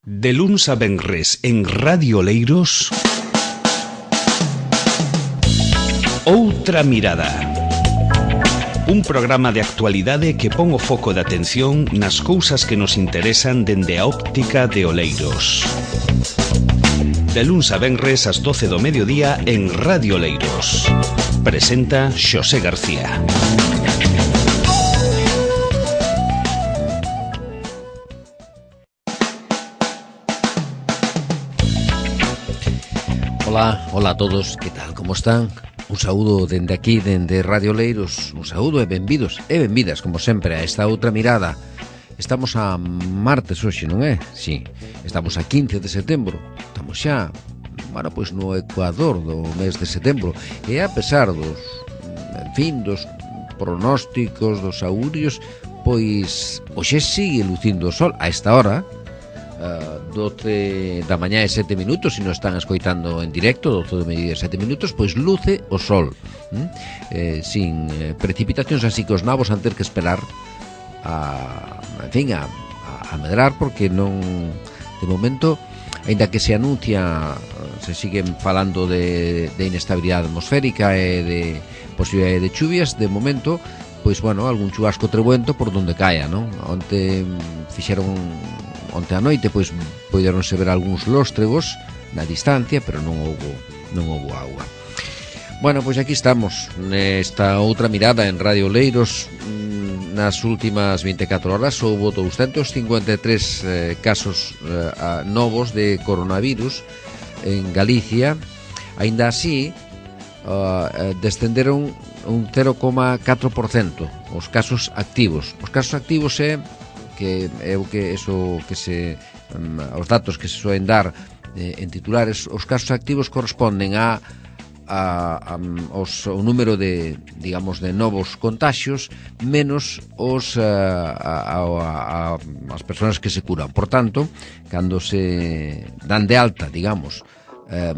De luns a venres en Radio Oleiros, Outra Mirada. Un programa de actualidade que pon o foco de atención nas cousas que nos interesan dende a óptica de Oleiros. De luns a venres ás 12 do mediodía en Radio Oleiros. Presenta Xosé García. Hola a todos, que tal, como están? Un saúdo dende aquí, dende Radio Oleiros. Un saúdo e benvidos e benvidas, como sempre, a esta outra mirada. Estamos a martes hoxe, non é? Sí, estamos a 15 de setembro. Estamos xa, bueno, pois no ecuador do mes de setembro. E a pesar dos, en fin, dos pronósticos, dos augurios, pois hoxe sigue lucindo o sol a esta hora. 12 da mañá e 7 minutos, se non están escoitando en directo, 12 do mediodía e 7 minutos, pois luce o sol, sin precipitacións, así que os nabos han ter que esperar a medrar, porque non, de momento, aínda que se anuncia, se siguen falando de inestabilidade atmosférica e de posibilidade de chuvias, de momento, pois, bueno, algún chubasco trebuento por donde caia, non? Onte a noite, pois, poderonse ver algúns lóstregos na distancia, pero non houbo agua. Bueno, pois aquí estamos nesta outra mirada en Radio Oleiros. Nas últimas 24 horas houbo 253 casos novos de coronavirus en Galicia. Aínda así, descenderon un 0,4% os casos activos. Os casos activos os datos que se soen dar en titulares. Os casos activos corresponden ao número de, digamos, de novos contagios menos as persoas que se curan. Por tanto, cando se dan de alta, digamos,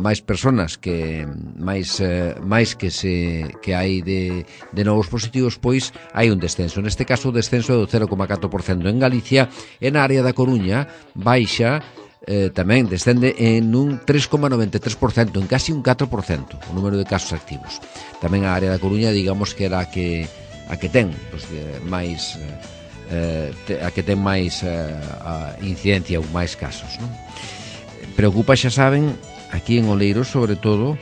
máis persoas que hai de novos positivos, pois hai un descenso. Neste caso, o descenso é do 0,4% en Galicia. En a área da Coruña baixa, tamén descende en un 3,93%, en casi un 4% o número de casos activos. Tamén a área da Coruña, digamos que era a que ten máis incidencia ou máis casos, non? Preocupa, xa saben, aquí en Oleiros, sobre todo,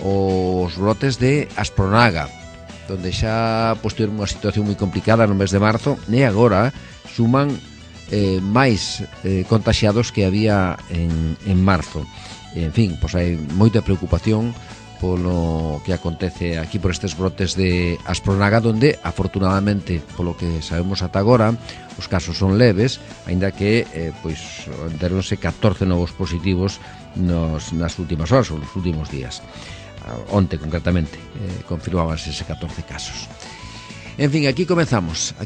os brotes de aspronaga, donde xa tiveron unha situación moi complicada no mes de marzo, e agora suman máis contagiados que había en marzo. En fin, pois hai moita preocupación polo que acontece aquí, por estes brotes de aspronaga, donde, afortunadamente, polo que sabemos ata agora, os casos son leves, aínda que deronse 14 novos positivos nas últimas horas, ou nos últimos días. Onte, concretamente, confirmábanse ese 14 casos. En fin, aquí comezamos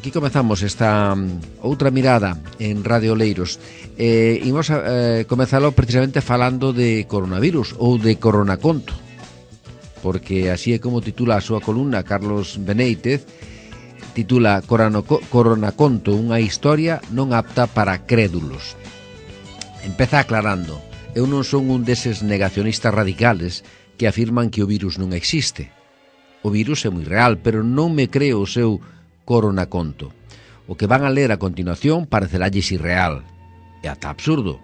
esta outra mirada en Radio Oleiros. Imos a comezalo precisamente falando de coronavirus ou de coronaconto, porque así é como titula a súa columna Carlos Benéitez. Titula Coronaconto, unha historia non apta para crédulos. Empeza aclarando: eu non son un deses negacionistas radicales que afirman que o virus non existe. O virus é moi real, pero non me creo o seu coronaconto. O que van a ler a continuación pareceralles irreal e ata absurdo,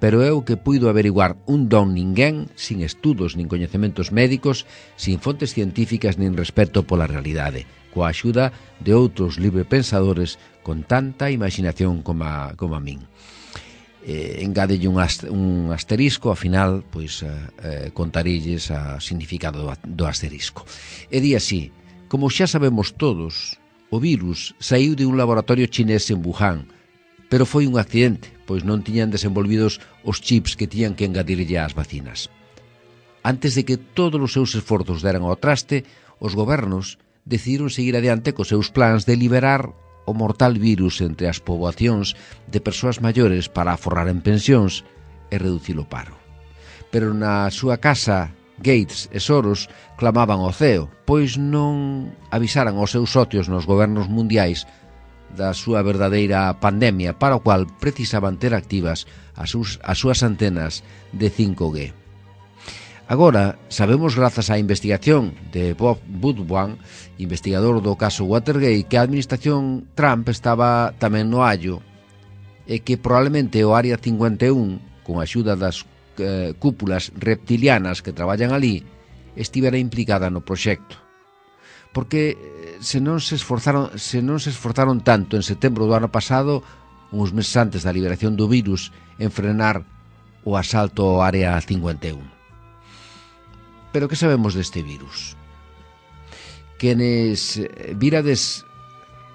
pero é o que puido averiguar un don ninguén, sin estudos nin coñecementos médicos, sin fontes científicas nin respeto pola realidade, coa axuda de outros librepensadores con tanta imaginación como a min. Engádelle un asterisco, ao final, pois contarilles o significado do asterisco. E di así: como xa sabemos todos, o virus saiu de un laboratorio chinés en Wuhan, pero foi un accidente, pois non tiñan desenvolvidos os chips que tiñan que engadirlle ás vacinas. Antes de que todos os seus esforzos deran ao traste, os gobernos decidiron seguir adiante cos seus plans de liberar o mortal virus entre as poboacións de persoas maiores para aforrar en pensións e reducir o paro. Pero na súa casa, Gates e Soros clamaban ao ceo, pois non avisaran aos seus socios nos gobernos mundiais da súa verdadeira pandemia, para o cual precisaban ter activas as súas antenas de 5G. Agora, sabemos grazas á investigación de Bob Woodward, investigador do caso Watergate, que a administración Trump estaba tamén no allo e que probablemente o Área 51, con a axuda das cúpulas reptilianas que traballan ali, estivera implicada no proxecto. Porque se non se esforzaron tanto en setembro do ano pasado, uns meses antes da liberación do virus, en frenar o asalto ao Área 51. Pero que sabemos deste virus? Quenes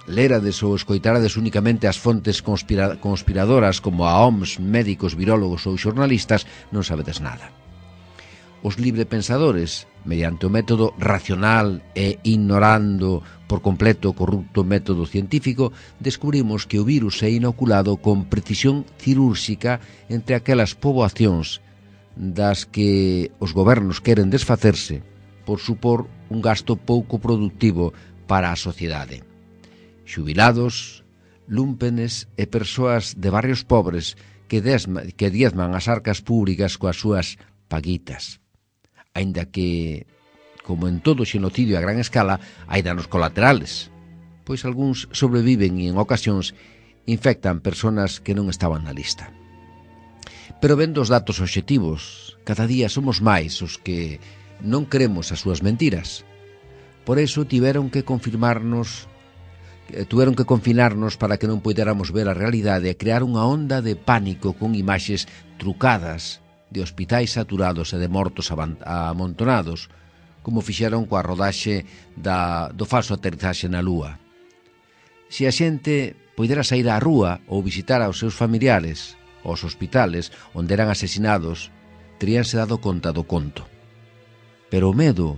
lerades ou escoitarades únicamente as fontes conspiradoras como a OMS, médicos, virólogos ou xornalistas, non sabedes nada. Os librepensadores, mediante o método racional e ignorando por completo o corrupto método científico, descubrimos que o virus é inoculado con precisión cirúrxica entre aquelas poboacións das que os gobernos queren desfacerse por supor un gasto pouco productivo para a sociedade. Xubilados, lúmpenes e persoas de barrios pobres que diezman as arcas públicas coas súas paguitas. Aínda que, como en todo xenocidio a gran escala, hai danos colaterales, pois algúns sobreviven e en ocasións infectan persoas que non estaban na lista. Pero vendo os datos obxectivos, cada día somos máis os que non creemos as súas mentiras. Por iso tiveron que confinarnos para que non poidéramos ver a realidade e crear unha onda de pánico con imaxes trucadas de hospitais saturados e de mortos amontonados, como fixeron coa rodaxe do falso aterrizaxe na Lúa. Se a xente poidera sair á rúa ou visitar aos seus familiares, aos hospitales onde eran asesinados, teríanse dado conta do conto. Pero o medo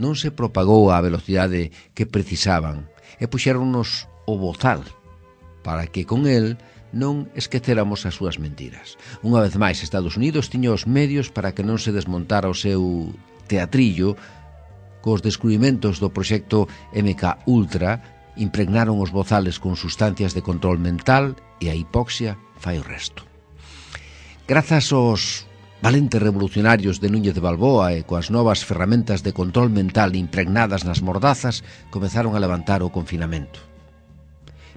non se propagou á velocidade que precisaban e puxéronnos o bozal para que con el non esquecéramos as súas mentiras. Unha vez máis, Estados Unidos tiña os medios para que non se desmontara o seu teatrillo. Cos descubrimentos do proxecto MK Ultra impregnaron os bozales con sustancias de control mental e a hipoxia fai o resto. Grazas aos valentes revolucionarios de Núñez de Balboa e coas novas ferramentas de control mental impregnadas nas mordazas, comezaron a levantar o confinamento.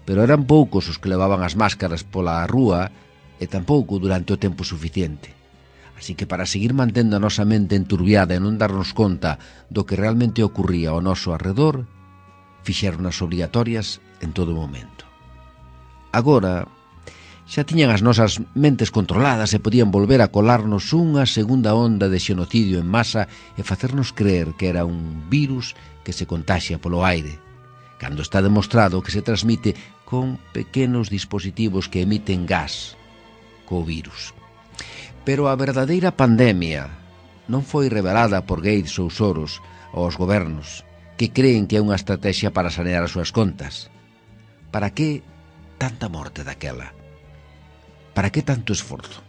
Pero eran poucos os que levaban as máscaras pola rúa e tampouco durante o tempo suficiente. Así que para seguir mantendo a nosa mente enturbiada e non darnos conta do que realmente ocurría ao noso arredor, fixéronas obrigatorias en todo momento. Agora, xa tiñan as nosas mentes controladas e podían volver a colarnos unha segunda onda de xenocidio en masa e facernos creer que era un virus que se contaxia polo aire, cando está demostrado que se transmite con pequenos dispositivos que emiten gas co virus. Pero a verdadeira pandemia non foi revelada por Gates ou Soros aos gobernos, que creen que é unha estrategia para sanear as súas contas. Para que tanta morte daquela? Para que tanto esforzo?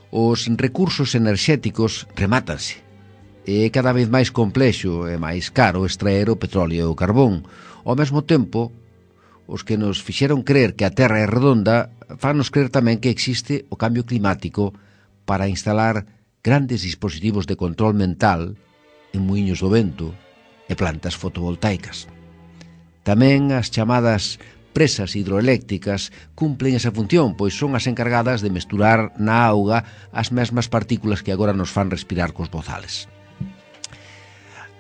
Os recursos enerxéticos remátanse. É cada vez máis complexo e máis caro extraer o petróleo e o carbón. Ao mesmo tempo, os que nos fixeron creer que a Terra é redonda fannos creer tamén que existe o cambio climático para instalar grandes dispositivos de control mental en muiños do vento e plantas fotovoltaicas. Tamén as chamadas presas hidroeléctricas cumplen esa función, pois son as encargadas de mesturar na auga as mesmas partículas que agora nos fan respirar cos bozales.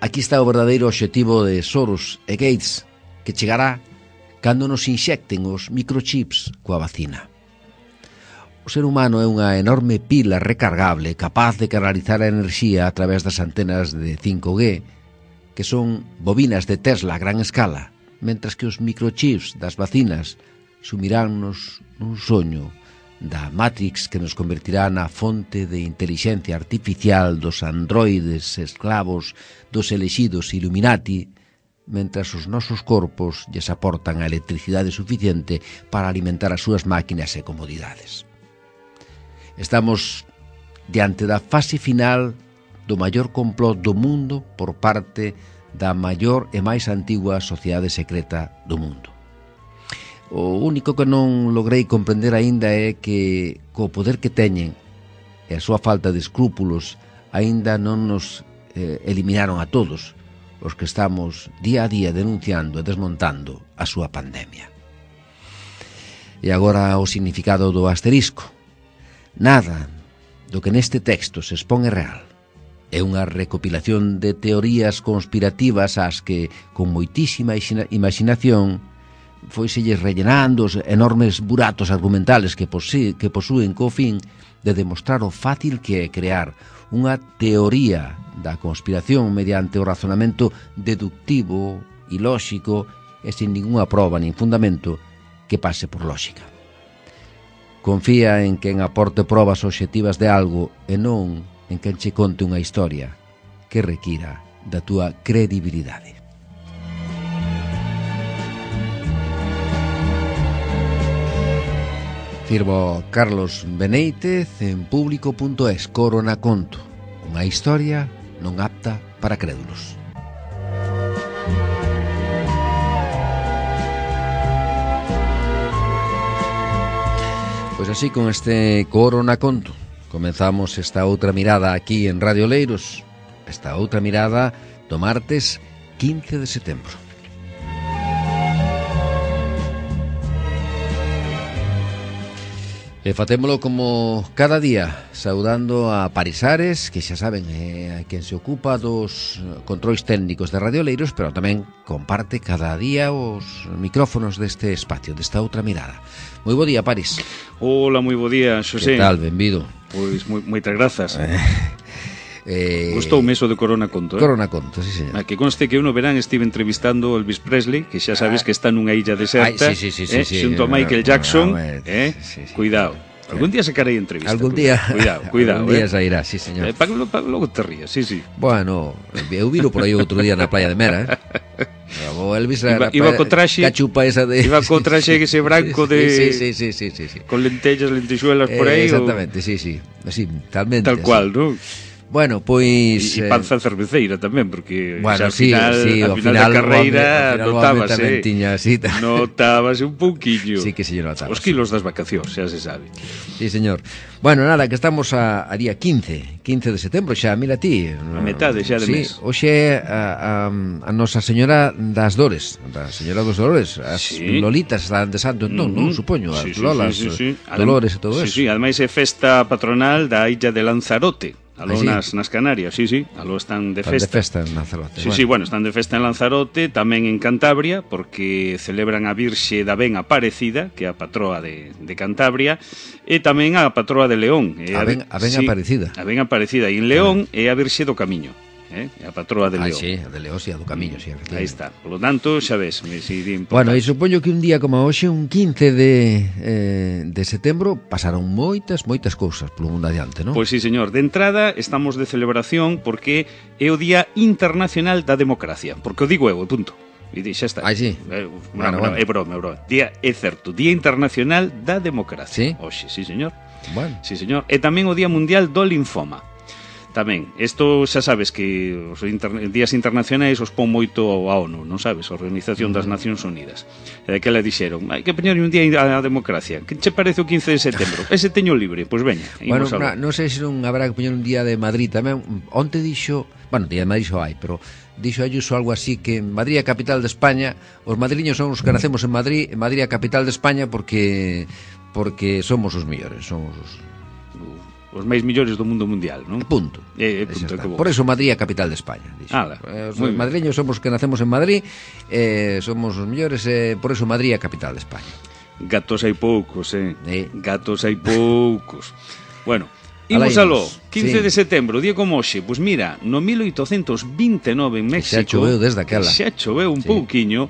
Aquí está o verdadeiro obxectivo de Soros e Gates, que chegará cando nos inxecten os microchips coa vacina. O ser humano é unha enorme pila recargable capaz de canalizar a enerxía a través das antenas de 5G, que son bobinas de Tesla a gran escala, mentras que os microchips das vacinas sumiránnos nun soño da Matrix que nos convertirá na fonte de inteligencia artificial dos androides esclavos dos elexidos Illuminati, mentras os nosos corpos lles aportan a electricidade suficiente para alimentar as súas máquinas e comodidades. Estamos diante da fase final do maior complot do mundo por parte da maior e máis antigua sociedade secreta do mundo. O único que non logrei comprender aínda é que co poder que teñen e a súa falta de escrúpulos aínda non nos eliminaron a todos os que estamos día a día denunciando e desmontando a súa pandemia. E agora o significado do asterisco. Nada do que neste texto se expón é real. É unha recopilación de teorías conspirativas ás que, con moitísima imaginación, foiselles rellenando os enormes buratos argumentales que posúen co fin de demostrar o fácil que é crear unha teoría da conspiración mediante o razonamento deductivo e lóxico e sin ninguna proba nin fundamento que pase por lóxica. Confía en quen aporte probas obxectivas de algo e non en quen che conte unha historia que requira da túa credibilidade. Firmo Carlos Beneítez en público.es. Corona Conto, unha historia non apta para crédulos. Pois así, con este Corona Conto comenzamos esta outra mirada aquí en Radio Oleiros, esta outra mirada do martes 15 de setembro. E facémolo como cada día, saudando a Parisares, que xa saben é quen se ocupa dos controis técnicos de Radio Oleiros, pero tamén comparte cada día os micrófonos deste espacio, desta outra mirada. Moi bo día, Paris. Hola, moi bo día, Xosé. Que tal, benvido? Pois moitas grazas. Gustoume eso de Corona Conto, Corona Conto, sí, señor. Que conste que eu no verán estive entrevistando Elvis Presley, que xa sabes que está nunha illa deserta, sí, xunto a Michael Jackson, sí. Cuidado. Algún día se carei entrevista. Algún día. Cuidado. Algún día sairá, sí, señor. Para logo te rías, sí. Bueno, eu viro por aí outro día na playa de Mera, O Elvis iba co traxe, cachupa esa de... Iba co traxe ese branco de... Sí. Con lentellas, lentixuelas por aí. Exactamente, sí. Así, talmente. Tal cual, non? Bueno, pois... E panza cerveceira tamén, porque bueno, ao final da carreira notábase. Notábase un pouquiño. Sí que señor notaba. Os kilos das vacacións, xa se sabe. Sí, señor. Bueno, nada, que estamos a día 15 de setembro, xa, mira ti. A metade xa de mes. Hoxe é a Nosa Señora das Dores, a Señora dos Dolores, as Lolitas están de santo entón, non? Supoño, as Lolas, Dolores e todo eso. Sí, ademais é festa patronal da illa de Lanzarote. Aló nas Canarias, sí, aló están de festa. Están de festa en Lanzarote. Sí, bueno, están de festa en Lanzarote, tamén en Cantabria, porque celebran a Virxe da Ben Aparecida, que é a patroa de Cantabria, e tamén a patroa de León. A Ben Aparecida. A Ben Aparecida, e en León é a Virxe do Camiño. A patroa de León. Sí, a de León, sí, a do Camiño, sí. Aí está. Por lo tanto, xa ves, bueno, e supoño que un día como hoxe, un 15 de setembro, pasaron moitas cousas polo mundo adiante, non? Pois sí, señor. De entrada, estamos de celebración porque é o Día Internacional da Democracia. Porque o digo eu, punto. E xa está. Sí. Bueno. É broma. É certo. Día Internacional da Democracia. Sí? Hoxe, sí, señor. Bueno. Sí, señor. E tamén o Día Mundial do Linfoma. Tamén, isto xa sabes que os días internacionais os pon moito a ONU, non sabes, a Organización das Nacións Unidas. E daquela dixeron, hai que poñer un día a democracia. Que che parece o 15 de setembro? Ese teño libre, pois veña. Bueno, non sei se non habrá que poñer un día de Madrid tamén. Onte dixo, bueno, día de Madrid xo hai, pero dixo Ayuso algo así que en Madrid a capital de España, os madrileños son os que nacemos en Madrid a capital de España porque somos os mellores, somos os máis millores do mundo mundial, non? Punto. Punto. Por eso Madrid é a capital de España. Os madrileños somos os que nacemos en Madrid, somos os mellores, por eso Madrid é a capital de España. Gatos hai poucos, Gatos hai poucos. Bueno, imos aló, 15 de setembro, día como hoxe. Pois mira, no 1829 en México... Xa choveu desde aquela. Xa choveu un pouquiño.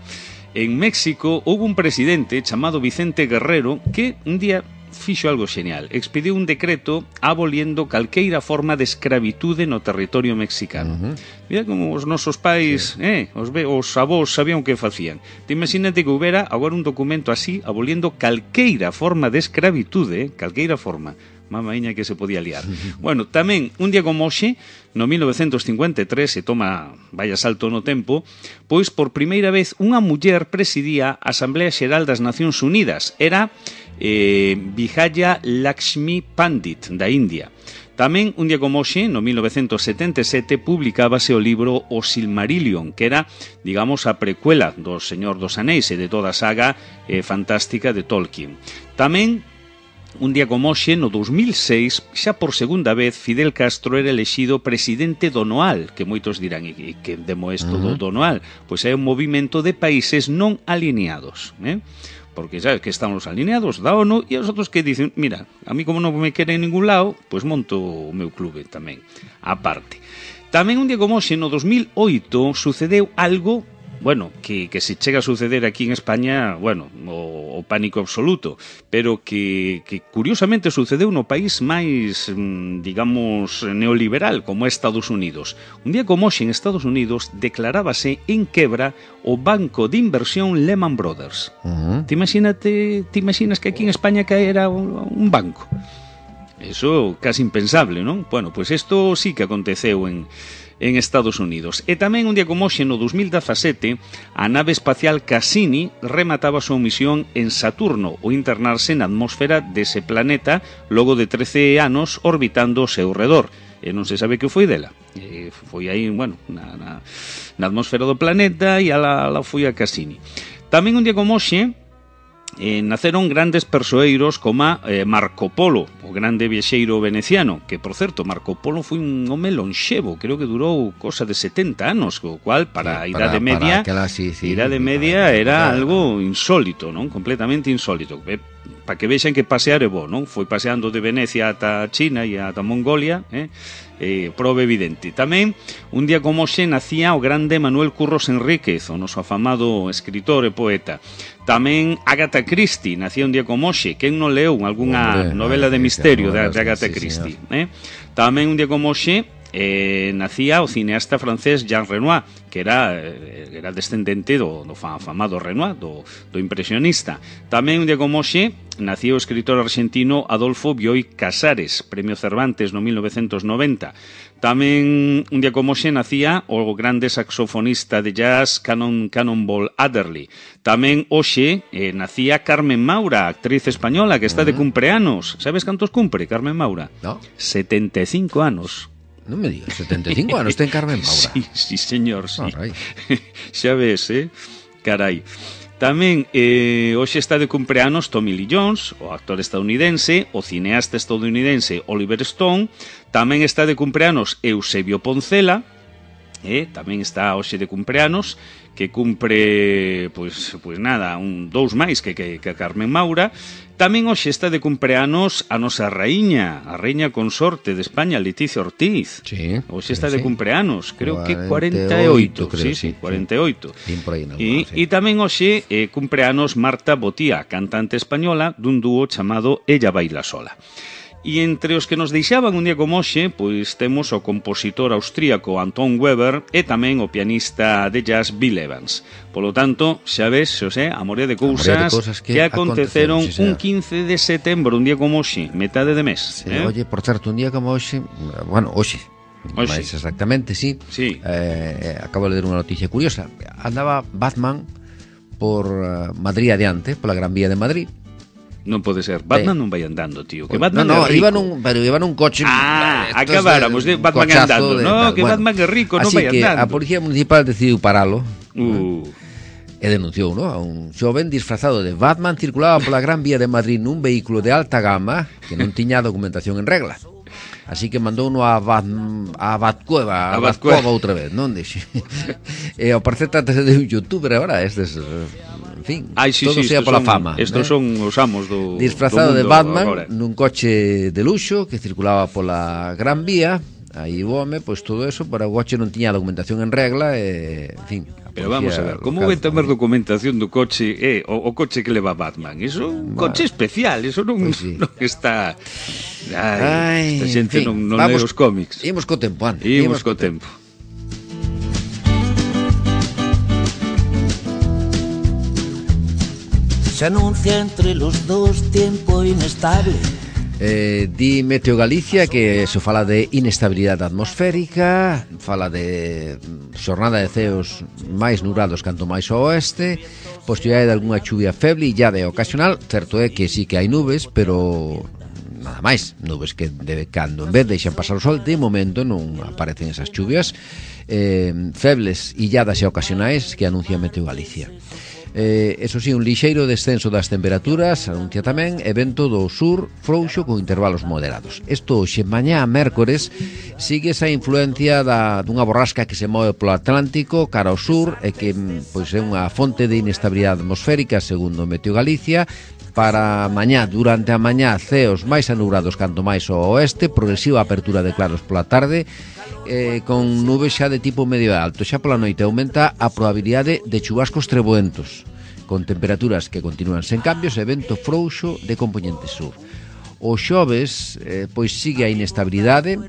En México houve un presidente chamado Vicente Guerrero que un día fixo algo genial. Expediu un decreto aboliendo calqueira forma de escravitude no territorio mexicano. Mira como os nosos pais, os avós sabían o que facían. Te imagínate que houbera agora un documento así aboliendo calqueira forma de escravitude, calqueira forma. mamaíña que se podía liar. Bueno, tamén, un día como hoxe, no 1953, se toma, vaya salto no tempo, pois por primeira vez unha muller presidía a Asamblea Xeral das Nacións Unidas. Era Vijaya Lakshmi Pandit, da India. Tamén, un día como hoxe, no 1977, publicábase o libro O Silmarillion, que era, digamos, a precuela do Señor dos Anéis e de toda a saga fantástica de Tolkien. Tamén, un día como hoxe, no 2006, xa por segunda vez, Fidel Castro era elexido presidente do NOAL, que moitos dirán, e que demo isto do NOAL? Pois é un movimento de países non alineados, porque sabes que estamos alineados da ONU e os outros que dicen, mira, a mí como non me quere en ningún lado, pois monto o meu clube tamén, aparte. Tamén un día como hoxe, no 2008, sucedeu algo, bueno, que se chega a suceder aquí en España, bueno, o pánico absoluto, pero que curiosamente sucedeu no país máis, digamos, neoliberal, como é Estados Unidos. Un día como hoxe en Estados Unidos declarábase en quebra o banco de inversión Lehman Brothers. Te imaginas que aquí en España caera un banco? Eso casi impensable, non? Bueno, pois isto sí que aconteceu en Estados Unidos. E tamén un día como hoxe, no 2017, a nave espacial Cassini remataba a súa misión en Saturno, o internarse na atmósfera dese planeta logo de 13 anos orbitando ao seu redor. E non se sabe que foi dela. Foi aí, bueno, na atmósfera do planeta e ala foi a Cassini. Tamén un día como hoxe, naceron grandes persoeiros como Marco Polo, o grande viaxeiro veneciano, que, por certo, Marco Polo foi un home lonxevo, creo que durou cosa de 70 anos, o cual, para a Idade Media, Idade Media era algo insólito, non? Completamente insólito. Para que vexan que pasear é bo, non? Foi paseando de Venecia ata China e ata Mongolia, prova evidente. Tamén, un día como hoxe, nacía o grande Manuel Curros Enríquez, o noso afamado escritor e poeta. Tamén Agatha Christie, nacía un día como hoxe. Quen non leu algunha novela de misterio de Agatha Christie? Tamén un día como hoxe, nacía o cineasta francés Jean Renoir, que era descendente do afamado Renoir, do impresionista. Tamén un día como hoxe nacía o escritor argentino Adolfo Bioy Casares, Premio Cervantes no 1990. Tamén un día como hoxe nacía o grande saxofonista de jazz Cannonball Adderley. Tamén hoxe nacía Carmen Maura, actriz española que está de cumpleanos. Sabes cantos cumpre Carmen Maura? No. 75 anos. Non me digas, 75 anos ten Carmen Maura. Sí, señor, sí. Xa ves, carai. Tamén hoxe está de cumpleanos Tommy Lee Jones, o actor estadounidense, o cineasta estadounidense Oliver Stone. Tamén está de cumpleanos Eusebio Poncela, tamén está hoxe de cumpleanos, que cumpre, pois nada, dous máis que Carmen Maura. Tamén hoxe está de cumpleanos a nosa raíña, a reina consorte de España, Leticia Ortiz. Sí. Hoxe está de cumpleanos, creo que 48, creo, sí, 48. E tamén hoxe cumpleanos Marta Botía, cantante española dun dúo chamado Ella Baila Sola. E entre os que nos deixaban un día como hoxe, pois temos o compositor austríaco Anton Weber e tamén o pianista de jazz Bill Evans. Polo tanto, xa ves, Xosé, a morea de cousas que aconteceron un 15 de setembro, un día como hoxe, metade de mes. Oye, por certo, un día como hoxe, bueno, hoxe, máis exactamente, sí. Acabo de ler unha noticia curiosa. Andaba Batman por Madrid adiante, pola Gran Vía de Madrid. Non pode ser, Batman non vai andando, tío. Que Batman no, é rico. Iba nun coche. Acabáramos de Batman andando. Que Batman é rico, non vai andando. Así que a Policía Municipal decidiu paralo. E denunciou, ¿no? A un xoven disfrazado de Batman circulaba pola Gran Vía de Madrid nun vehículo de alta gama que non tiña documentación en regla. Así que mandou uno a Batcueva outra vez, non? E ao parecer trátase de un youtuber agora, estes... En fin, todo sea pola fama. Estos son os amos do disfrazado do de Batman agora. Nun coche de luxo que circulaba pola Gran Vía. Aí o home, pois todo eso, para o coche non tiña documentación en regla e, en fin. Pero vamos a ver, como vai ter documentación do coche o coche que leva Batman? Iso é un coche especial, iso non, non está... esta xente non lee os cómics. Imos co tempo, Ana. Imos co tempo. Se anuncia entre los dos tiempo inestable. Di Meteo Galicia que se fala de inestabilidade atmosférica, fala de xornada de ceos máis nublados canto máis ao oeste, posibilidade de algunha chuvia feble e llave ocasional. Certo é que sí que hai nubes, pero nada máis, nubes que de cando en vez deixan pasar o sol, de momento non aparecen esas chuvias febles, illadas e ocasionais que anuncia Meteo Galicia. Eso sí, un lixeiro descenso das temperaturas, anuncia tamén, e vento do sur frouxo con intervalos moderados. Isto hoxe, mañá, mércores, sigue esa influencia dunha borrasca que se move polo Atlántico cara ao sur e que pois é unha fonte de inestabilidade atmosférica, segundo Meteo Galicia. Para mañá, durante a mañá, ceos máis anubrados canto máis ao oeste, progresiva apertura de claros pola tarde, con nubes xa de tipo medio alto. Xa pola noite aumenta a probabilidade de chubascos treboentos, con temperaturas que continúan sen cambios e vento frouxo de compoñente sur. O xoves, pois sigue a inestabilidade,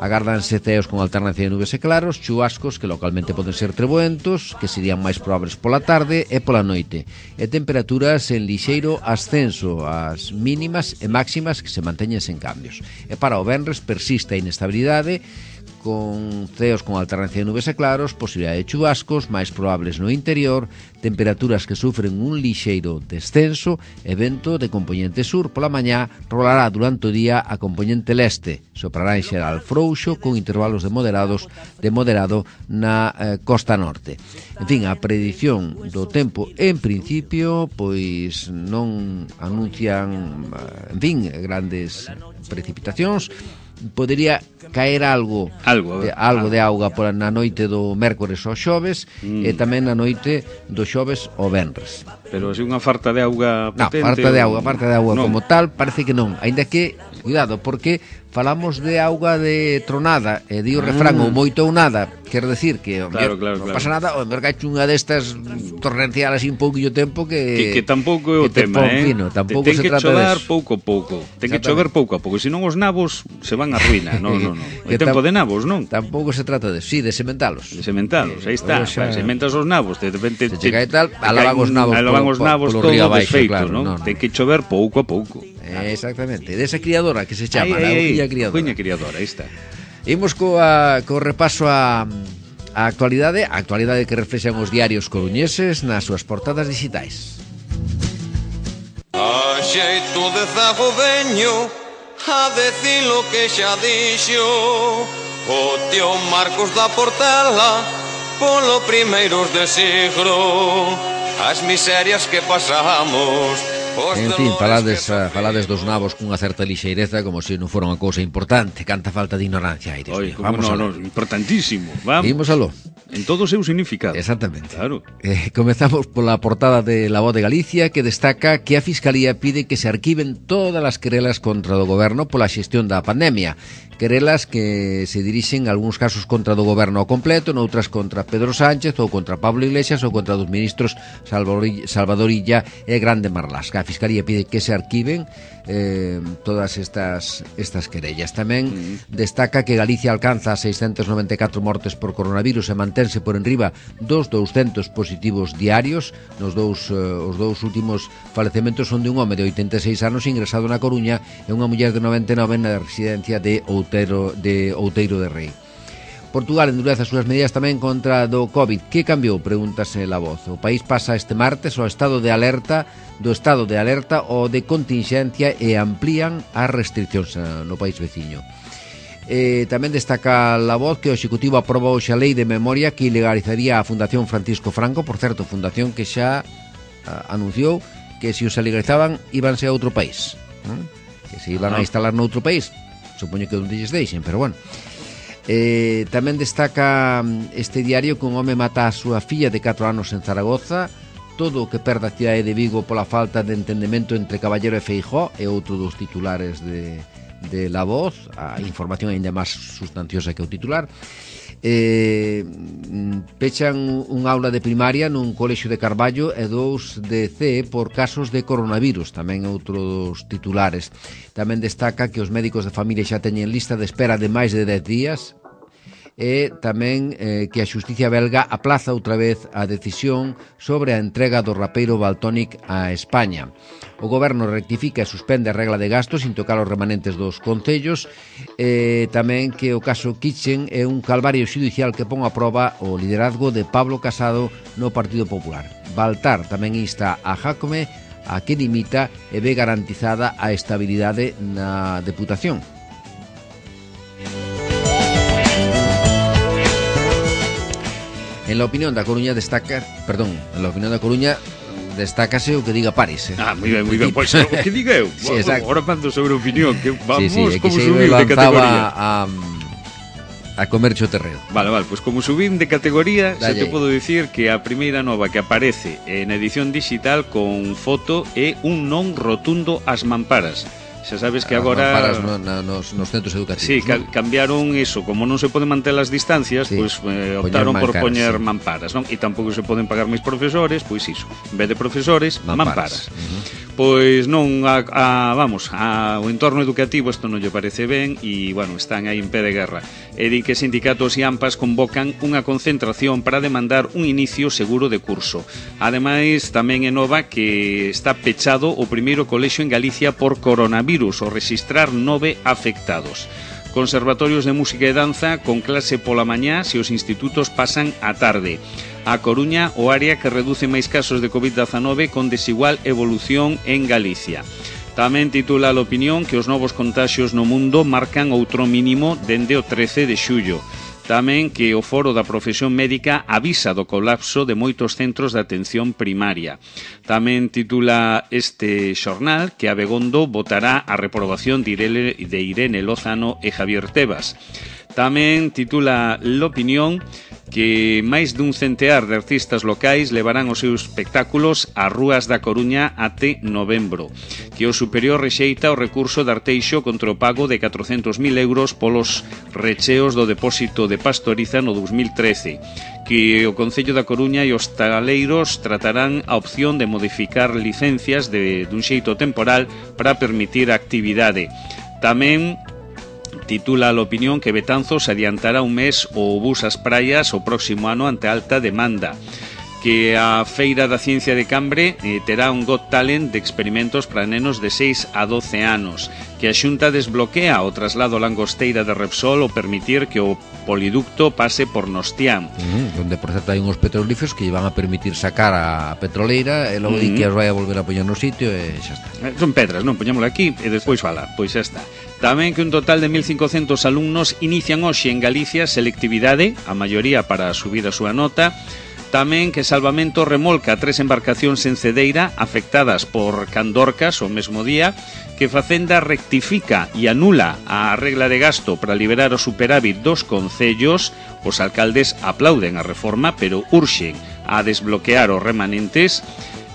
agárdanse ceos con alternancia de nubes e claros, chubascos que localmente poden ser treboentos, que serían máis probables pola tarde e pola noite, e temperaturas en lixeiro ascenso, as mínimas e máximas que se manteñen sen cambios. E para o venres persiste a inestabilidade, con ceos con alternancia de nubes e claros, posibilidade de chubascos máis probables no interior, temperaturas que sufren un lixeiro descenso e vento de compoñente sur. Pola mañá rolará durante o día a compoñente leste, soprará en xeral frouxo con intervalos de moderado na costa norte. En fin, a predición do tempo en principio pois non anuncian, en fin, grandes precipitacións. Podería caer algo de auga por na noite do mércores ao xoves e tamén na noite do xoves ao venres. Pero se unha farta de auga potente... Non, farta de auga como tal, parece que non. Ainda que, cuidado, porque falamos de auga de tronada e di o refrán ou moito ou nada, quer decir que non pasa nada, o mercache unha destas torrencial así un pouquillo tempo que tampouco é o tema, tampouco ten se que trata chover de pouco a pouco. Ten que chover pouco a pouco, senón os nabos se van a ruína. Non. É tempo de nabos, non? Tampouco se trata de, de sementalos. De sementalos, aí está. Sementas os nabos, de repente se chega e tal, alaban os nabos todos desfeitos, non? Ten que chover pouco a pouco. Exactamente, desa criadora que se chama, a Cuña criadora, aí está. Imos co repaso a actualidade que reflexan os diarios coruñeses nas súas portadas digitais. A xeito de zago veño a decir lo que xa dixo o tío Marcos da Portela polo primeiros de siglo, as miserias que pasamos. En fin, falades dos nabos cunha certa lixeireza como se non fora unha cousa importante. Canta falta de ignorancia, Aires. Vamos aló. Importantísimo. Vamos aló. En todo o seu significado. Exactamente. Claro. Comezamos pola portada de La Voz de Galicia, que destaca que a Fiscalía pide que se arquiven todas as querelas contra o goberno pola xestión da pandemia. Querelas que se dirixen en algúns casos contra do goberno ao completo, noutras contra Pedro Sánchez ou contra Pablo Iglesias ou contra dos ministros Salvador Illa e Grande Marlaska. A Fiscalía pide que se arquiven todas estas querellas. Tamén destaca que Galicia alcanza 694 mortes por coronavirus e mantense por enriba dos 200 positivos diarios. Os dous últimos falecementos son de un home de 86 anos ingresado na Coruña e unha muller de 99 na residencia de Outeiro de Rei. Portugal endurece as súas medidas tamén contra do COVID. Que cambiou? Pregúntase La Voz. O país pasa este martes ao estado de alerta ou de continxencia e amplían as restriccións no país veciño. Tamén destaca La Voz que o Executivo aprobou xa a lei de memoria que ilegalizaría a Fundación Francisco Franco, por certo, fundación que xa anunciou que se os legalizaban íbanse a outro país, que se iban a instalar noutro país. Supoño que onde lles deixen, pero bueno. Tamén destaca este diario que un home mata a súa filla de 4 anos en Zaragoza. Todo o que perde a cidade de Vigo pola falta de entendemento entre Caballero e Feijóo é outro dos titulares de La Voz. A información ainda máis sustanciosa que o titular. Pechan un aula de primaria nun colexio de Carballo e 2 de CE por casos de coronavirus, tamén outro dos titulares. Tamén destaca que os médicos de familia xa teñen lista de espera de máis de 10 días e tamén que a xusticia belga aplaza outra vez a decisión sobre a entrega do rapeiro Valtonyc a España. O goberno rectifica e suspende a regla de gastos sin tocar os remanentes dos concellos, e tamén que o caso Kitchen é un calvario xudicial que pon a proba o liderazgo de Pablo Casado no Partido Popular. Baltar tamén insta a Jácome a que dimita e ve garantizada a estabilidade na Deputación. En la opinión da Coruña destácase o que diga Paris. Moi ben, pois o que diga eu. Sí, agora mando sobre a opinión, que vamos como se subir de categoría. A comercio terreo. Vale, pois como subín de categoría, Dalle. xa te podo dicir que a primeira nova que aparece na edición digital con foto é un non rotundo ás mamparas. Xa sabes que agora Mamparas nos centros educativos. Sí, ¿no? cambiaron eso. Como non se poden manter as distancias, Sí, pois optaron por mancaras, poñer sí. mamparas, non? E tampouco se poden pagar máis profesores, pois iso. En vez de profesores, mamparas. Pois non o entorno educativo isto non lle parece ben e, bueno, están aí en pé de guerra. E di que sindicatos e AMPAs convocan unha concentración para demandar un inicio seguro de curso. Ademais, tamén é nova que está pechado o primeiro colexio en Galicia por coronavirus, ao registrar 9 afectados. Conservatorios de música e danza con clase pola mañá se os institutos pasan a tarde. A Coruña, o área que reduce máis casos de COVID-19 con desigual evolución en Galicia. Tamén titula a opinión que os novos contaxios no mundo marcan outro mínimo dende o 13 de xullo. Tamén que o Foro da Profesión Médica avisa do colapso de moitos centros de atención primaria. Tamén titula este xornal que Abegondo votará a reprobación de Irene Lozano e Javier Tebas. Tamén titula l'opinión que máis dun centear de artistas locais levarán os seus espectáculos ás rúas da Coruña até novembro, que o superior rexeita o recurso de Arteixo contra o pago de 400.000 euros polos recheos do depósito de Pastoriza no 2013, que o Concello da Coruña e os taleiros tratarán a opción de modificar licencias dun xeito temporal para permitir a actividade. Tamén titula a opinión que Betanzos adiantará un mes o bus ás praias o próximo ano ante alta demanda, que a Feira da Ciencia de Cambre terá un Got Talent de experimentos para nenos de 6 a 12 anos, que a Xunta desbloquea o traslado langosteira de Repsol ao permitir que o poliducto pase por Nostián. Donde, por certo, hai uns petrolíferos que van a permitir sacar a petroleira e logo di que as vai a volver a poñer no sitio e xa está. Son pedras, non? Poñémoslo aquí e despois fala, pois xa está. Tamén que un total de 1.500 alumnos inician hoxe en Galicia selectividade, a maioría para subir a súa nota. Tamén que Salvamento remolca 3 embarcacións en Cedeira afectadas por Candorcas o mesmo día, que Facenda rectifica e anula a regla de gasto para liberar o superávit dos concellos. Os alcaldes aplauden a reforma, pero urxen a desbloquear os remanentes.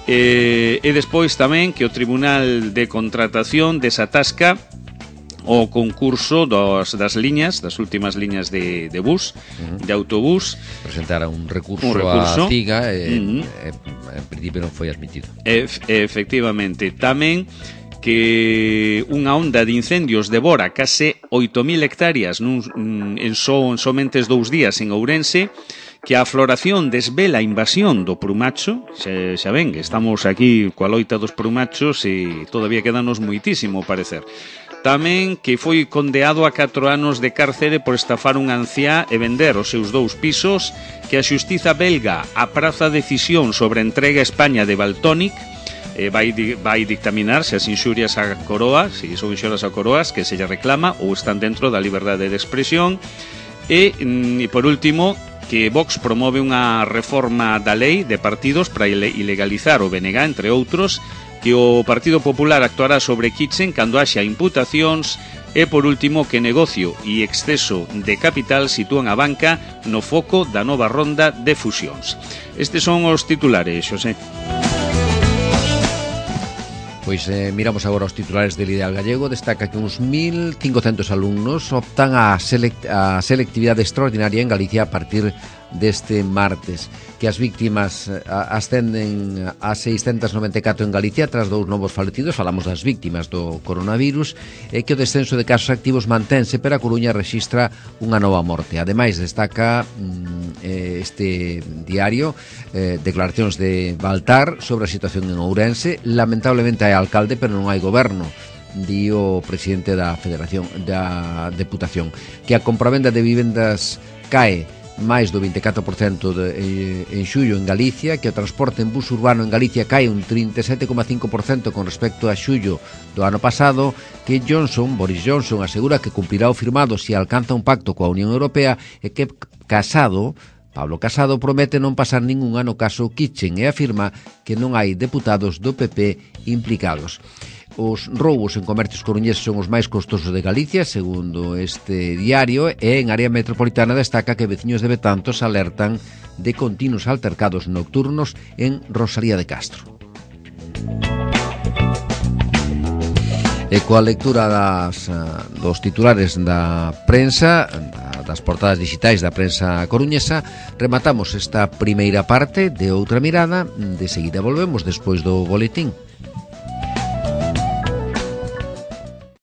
E despois tamén que o Tribunal de Contratación desatasca o concurso das liñas, das últimas liñas de bus, de autobús. Presentara un recurso a CIGA e en principio non foi admitido. Efectivamente. Tamén que unha onda de incendios devora case 8.000 hectáreas en somente 2 días en Ourense, que a floración desvela a invasión do prumacho. Xa ven, estamos aquí coa loita dos prumachos e todavía quedanos moitísimo parecer. Tamén que foi condeado a 4 anos de cárcere por estafar unha anciá e vender os seus 2 pisos, que a xustiza belga apraza a decisión sobre a entrega a España de Valtonyc, vai dictaminar se as inxurias a Coroa, se son inxurias a Coroas, que se lle reclama ou están dentro da liberdade de expresión. E por último, que Vox promove unha reforma da lei de partidos para ilegalizar o BNG, entre outros, que o Partido Popular actuará sobre Kitchen cando haxa imputacións. E por último, que negocio e exceso de capital sitúan a banca no foco da nova ronda de fusións. Estes son os titulares, Xosé. Pois miramos agora os titulares del Ideal Gallego. Destaca que uns 1.500 alumnos optan a selectividade extraordinaria en Galicia a partir deste martes, que as víctimas ascenden a 694 en Galicia tras 2 novos falecidos. Falamos das víctimas do coronavirus, e que o descenso de casos activos mantense, pero a Coruña rexistra unha nova morte. Ademais, destaca este diario declaracións de Baltar sobre a situación en Ourense. Lamentablemente hai alcalde, pero non hai goberno, di o presidente da Federación da Deputación, que a compravenda de vivendas cae máis do 24% en xullo en Galicia, que o transporte en bus urbano en Galicia cae un 37,5% con respecto a xullo do ano pasado, que Boris Johnson asegura que cumprirá o firmado se alcanza un pacto coa Unión Europea, e que Pablo Casado promete non pasar ningún ano caso Kitchen, e afirma que non hai deputados do PP implicados. Os roubos en comercios coruñeses son os máis costosos de Galicia, segundo este diario, e en área metropolitana destaca que veciños de Betanzos alertan de continuos altercados nocturnos en Rosalía de Castro. E coa lectura dos titulares da prensa, das portadas digitais da prensa coruñesa, rematamos esta primeira parte de Outra Mirada. De seguida volvemos despois do boletín.